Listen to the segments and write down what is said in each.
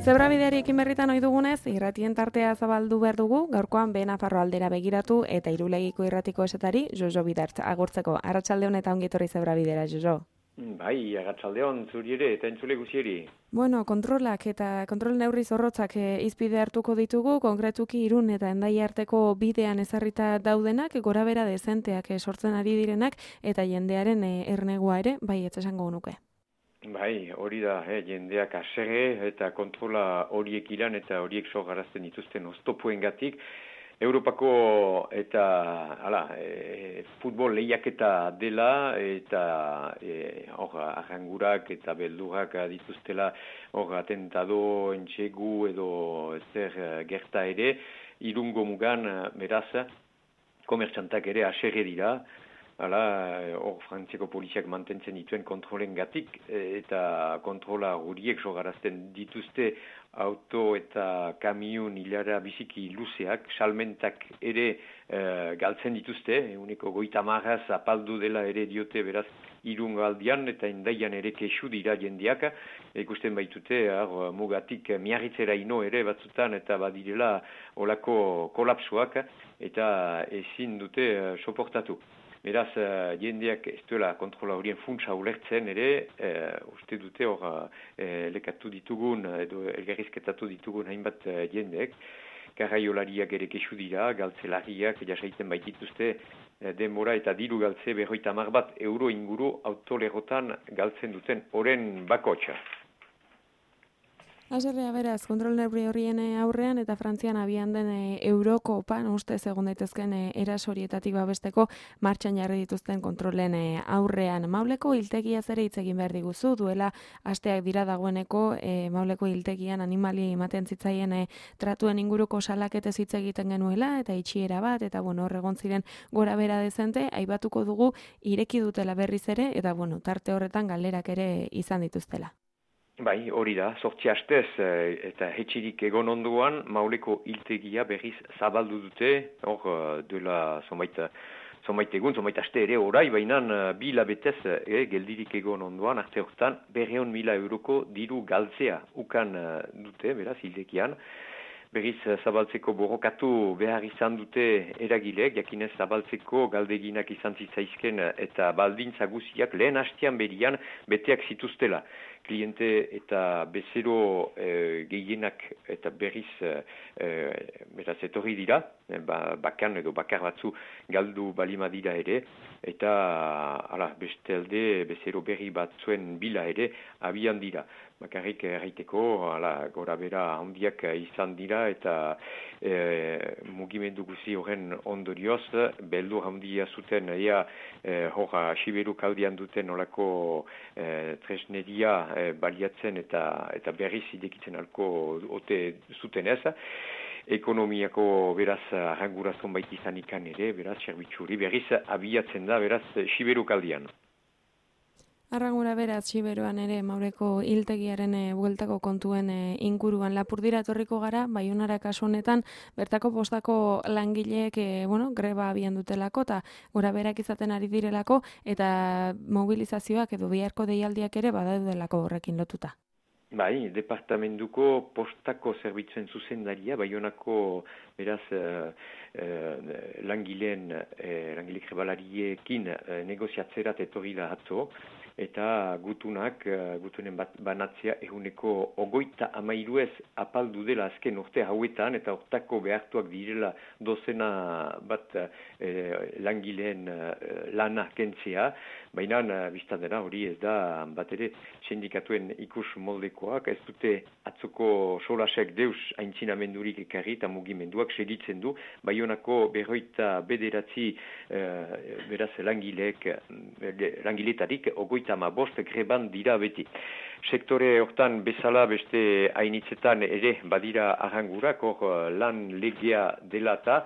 Zebrabidearekin berritan ohi dugunez, irratien tartea zabaldu behar dugu, gaurkoan Nafarro aldera begiratu eta Irulegiko irratiko esetari Jojo Bidart agurtzeko. Arratsaldeon eta ongi etorri Zebrabidera, Jojo. Bai, arratsaldeon zuri ere eta entzule guzieri. Bueno, kontrolak eta kontrol neurri zorrotzak izpide hartuko ditugu, konkretuki Irun eta Hendaia arteko bidean ezarrita daudenak, gorabera dezenteak sortzen ari direnak eta jendearen ernegua ere, bai, ez esango nuke. Bai, hori da, jendeak haserre eta kontrola horiek iran eta horiek sorgarazten dituzten oztopoengatik. Europako eta futbol lehiaketa dela eta arrangurak eta beldurak dituztela atentado, entxegu edo zer gerta ere, Irungo mugan beraz komertxantak ere haserre dira. Frantziako poliziak mantentzen dituen kontrolen gatik eta kontrola horiek sogarazten dituzte auto eta kamion hilara biziki luzeak, salmentak ere galtzen dituzte, uneko 50 apaldu dela ere diote beraz Irungo aldian eta Hendaian ere kexu dira jendeak, ikusten baitute mugatik miarritzera ino ere batzutan eta badirela olako kolapsuak eta ezin dute soportatu. Beraz, jendeak ez duela kontrola horien funtsa ulertzen ere, uste dute lekatu ditugun edo elgarrizketatu ditugun hainbat jendeek, garraiolariak ere kexu dira, galtzelariak jasaiten baitituzte denbora eta diru galtze 50 euro inguru autolerotan galtzen duten oren bakotxa. Haserrea beraz, kontrol neurri horien aurrean eta Frantzian abian den Eurokopan ustez egon daitezken erasorietatik babesteko martxan jarri dituzten kontrolen aurrean. Mauleko hiltegiaz ere hitz egin behar diguzu, duela asteak dira dagoeneko Mauleko hiltegian animali ematen zitzaien tratuen inguruko salaketez hitz egiten genuela eta itxiera bat eta hor egon ziren gora bera dezente, aipatuko dugu ireki dutela berriz ere eta tarte horretan galderak ere izan dituztela. Bai, hori da, 8 astez eta hetxirik egon onduan, Mauleko hiltegia berriz zabaldu dute, duela zonbait egun, zonbait aste ere orai, baina 2 hilabetez geldirik egon onduan, arte horretan 200.000 euroko diru galtzea ukan dute, beraz, hiltegian. Berriz zabaltzeko borrokatu behar izan dute eragileek, jakinez zabaltzeko galdeginak izan zitzaizken eta baldintza guziak lehen hastean berian beteak zituztela. Kliente eta bezero gehienak eta berriz beraz etorri dira, bakan edo bakar batzu galdu balima dira ere, eta bestalde bezero berri batzuen bila ere abian dira. Bakarrik erraiteko gora bera handiak izan dira eta mugimendu guzi horren ondorioz, beldur handia zuten Siberu kaldian duten olako tresneria baliatzen eta berriz idekitzen alko ote zuten ez. Ekonomiako beraz arrangurazon baita izan ikan ere, beraz serbitzuri berriz abiatzen da beraz Siberu kaldian. Arrangura beraz, Siberuan ere Mauleko hiltegiaren bueltako kontuen inguruan Lapurdira etorriko gara, Baionara kasu honetan, bertako postako langileek greba abian dutelako eta gora berak izaten ari direlako eta mobilizazioak edo biharko deialdiak ere badaudelako horrekin lotuta. Bai, departamentuko postako zerbitzuen zuzendaria, Baionako beraz langile grebalariekin negoziatzerat etorri da atzo, eta gutunen banatzea 23% apaldu dela azken urte hauetan, eta hortako behartuak direla dozena bat langileen lana kentzea, baina biztan dena hori ez da bat ere sindikatuen ikus moldekoak, ez dute atzoko solasek deus aintzinamendurik ekarri eta mugimenduak segitzen du, Baionako 29 beraz langiletarik 35 greban dira beti. Sektore hortan bezala beste hainitzetan ere badira arrangurak, lan legea delata,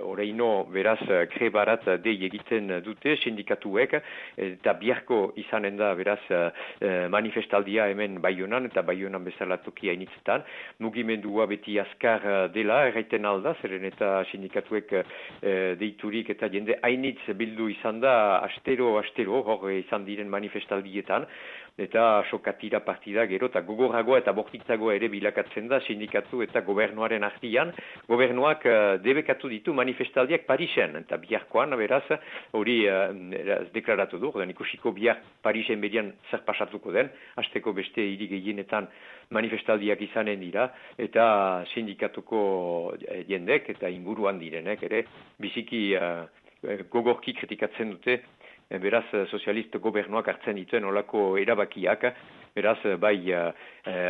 oraino beraz grebarat dei egiten dute sindikatuek, eta biharko izanen da beraz manifestaldia hemen Baionan, eta Baionan bezala toki hainitzetan. Mugimendua beti azkar dela, erraiten alda, zeren eta sindikatuek deiturik eta jende hainitz bildu izan da astero, hor izan diren manifestaldietan. eta sokatira partida gero eta gogorragoa eta bortitzagoa ere bilakatzen da sindikatu eta gobernuaren artian. Gobernuak debekatu ditu manifestaldiak Parisen, eta biharkoan, beraz, hori deklaratu du, ikusiko bihar Parisen berian zer pasatuko den, hasteko beste hiri gehienetan manifestaldiak izanen dira, eta sindikatuko jendek eta inguruan direnek ere biziki gogorki kritikatzen dute, beraz sozialist gobernuak hartzen dituen olako erabakiak, beraz bai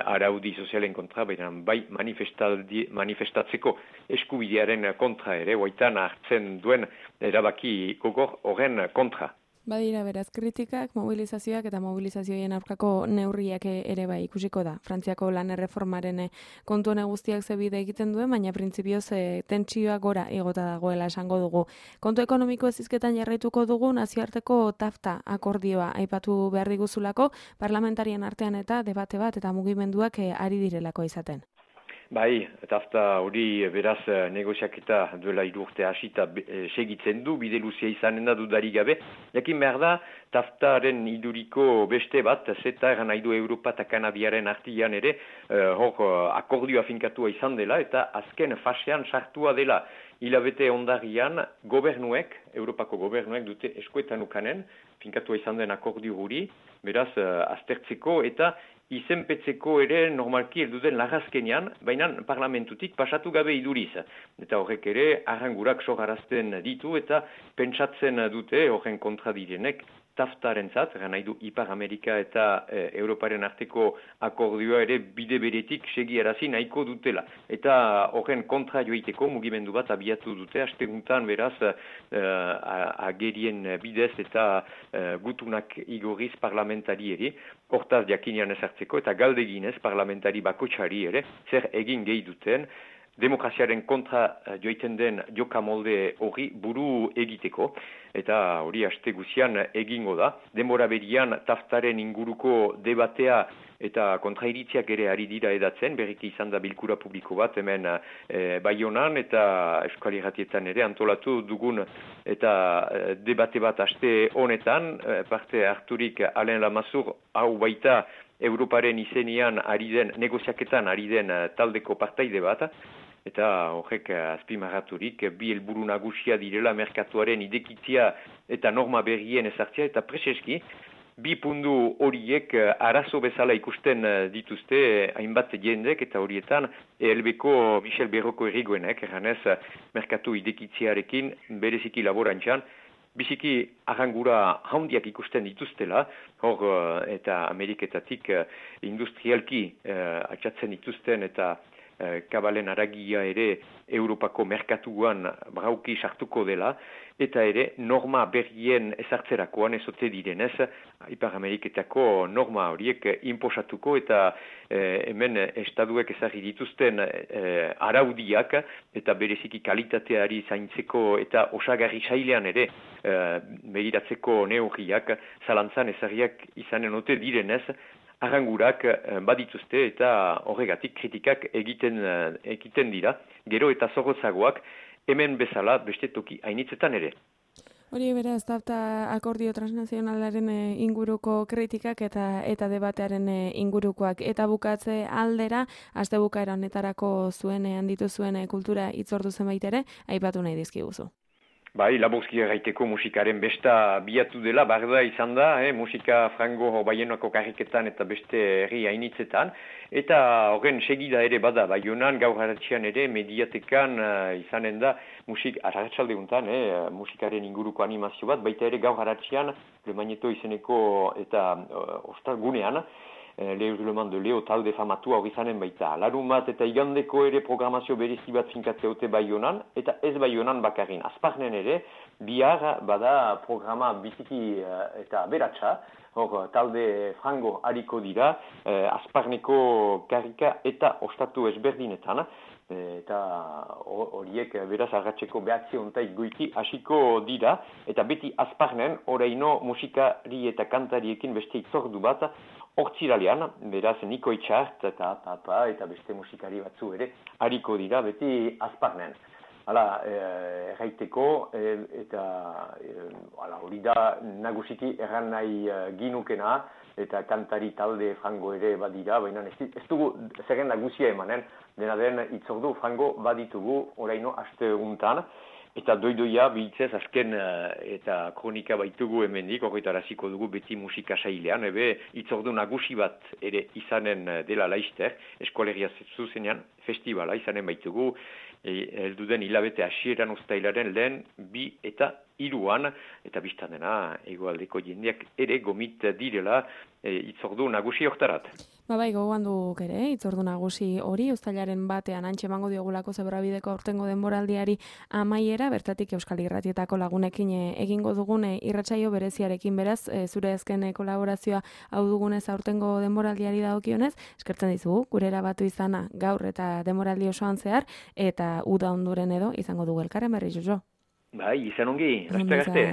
araudi sozialen kontra, bai manifestatzeko eskubidearen kontra ere, hoitan hartzen duen erabaki gogor horren kontra. Badira beraz kritikak, mobilizazioak eta mobilizazioen aurkako neurriak ere bai ikusiko da. Frantziako lan erreformaren kontu hone guztiak zebide egiten duen, baina printzipioz tentsioa gora igota dagoela esango dugu. Kontu ekonomiko ezizketan jarraituko dugu nazioarteko TAFTA akordioa aipatu behar diguzulako, parlamentarien artean eta debate bat eta mugimenduak ari direlako izaten. Bai, TAFTA hori beraz negoziaketa duela 3 urte hasita segitzen du, bide luzea izanen da dudarik gabe. Jakin behar da, TAFTaren iduriko beste bat, zeta eran nahi du Europa eta Kanadiaren artian ere, akordioa finkatua izan dela, eta azken fasean sartua dela. Hilabete ondarian gobernuek, Europako gobernuek dute eskuetan ukanen, finkatua izan den akordio guri, beraz aztertzeko eta izenpetzeko ere normalki helduden lagazkenean, baina parlamentutik pasatu gabe iduriz. Eta horrek ere arrangurak sogarazten ditu eta pentsatzen dute horren kontra direnek TAFTaren zat, nahi du Ipar Amerika eta Europaren arteko akordioa ere bide beretik segiarazi nahiko dutela. Eta horren kontra joiteko mugimendu bat abiatu dute, asteguntan beraz agerien bidez eta gutunak igorriz parlamentari ere, hortaz jakinean ezartzeko eta galdeginez parlamentari bakotxari ere, zer egin gehi duten, demokraziaren kontra joiten den jokamolde hori buru egiteko, eta hori aste guzian egingo da. Denbora berian TAFTaren inguruko debatea eta kontrairitziak ere ari dira edatzen, berriki izan da bilkura publiko bat hemen Baionan eta Euskal Irratietan ere antolatu dugun eta debate bat aste honetan, parte harturik Alain Lamassoure hau baita Europaren izenian ari den, negoziaketan ari den taldeko partaide bat, eta horrek azpimarraturik bi helburu nagusia direla merkatuaren idekitzia eta norma berrien ezartzea, eta preseski bi puntu horiek arazo bezala ikusten dituzte hainbat jendek, eta horietan ELB-ko Michel Berroko erigoenek, erranez merkatu idekitziarekin bereziki laborantzan, biziki arrangura handiak ikusten dituztela, hor eta Ameriketatik industrialki atxatzen dituzten eta kabalen aragia ere Europako merkatuan brauki sartuko dela, eta ere norma berrien ezartzerakoan ezote direnez, Ipar Ameriketako norma horiek inposatuko eta hemen estaduek ezarri dituzten araudiak eta bereziki kalitateari zaintzeko eta osagarri sailean ere begiratzeko neurriak zalantzan ezarriak izanen ote direnez, arrangurak badituzte eta horregatik kritikak egiten dira, gero eta zorrotzagoak hemen bezala beste toki hainitzetan ere. Hori beraz, TAFTA akordio transnazionalaren inguruko kritikak eta debatearen ingurukoak. Eta bukatze aldera, aste bukaera honetarako zuen handitu zuen kultura hitzordu zenbait ere, aipatu nahi dizkiguzu. Bai, laburzki erraiteko musikaren besta biatu dela, barda izan da, musika frango Baionako karriketan eta beste herri hainitzetan, eta horren segida ere bada, Baionan gaur haratxian ere mediatekan izanen da arratsalde untan, musikaren inguruko animazio bat, baita ere gaur haratxian, Le Magneto izeneko eta ostalgunean, Leuzleman de Leo talde famatua hori zanen baita. Larun bat eta igandeko ere programazio berezi bat finkatzeote Baionan, eta ez Baionan bakarrin. Azparnen ere, bihar bada programa biziki eta beratxa, hor talde frango hariko dira, Azparneko karrika eta ostatu ezberdinetan, eta horiek beraz arratseko behatzi ontaik goiti hasiko dira, eta beti Azparnen, oraino musikari eta kantariekin beste itzordu bat, hortziralean, beraz Niko Itxart eta Papa eta beste musikari batzu ere hariko dira beti Azparnen. hala, erraiteko, eta hori da nagusiki erran nahi ginukena, eta kantari talde frango ere badira, baina ez dugu zerren nagusia emanen, dena den itzordu frango baditugu oraino aste untan, eta doidoia bihitzez azken eta kronika baitugu hemendik, horretaraziko dugu beti musika sailean, itzordu nagusi bat ere izanen dela laizter, eskolegia zuzenean, festivala izanen baitugu, helduden hilabete hasieran uztailaren lehen 2 eta 3 eta biztan dena hegoaldeko jendeak ere gomit direla itzordu nagusi hortarat. Bai, gogoan duk ere, itzordu nagusi hori, uztailaren batean antxe emango diogulako Zebrabideko aurtengo denboraldiari amaiera, bertatik Euskal Irratietako lagunekin egingo dugun irratsaio bereziarekin, beraz, zure azken kolaborazioa hau dugunez aurtengo denboraldiari dagokionez, eskertzen dizugu, gurera batu izana gaur eta denboraldi osoan zehar, eta uda onduren edo izango dugu elkarren berri, Jojo. Bai, izan ongi, laster arte.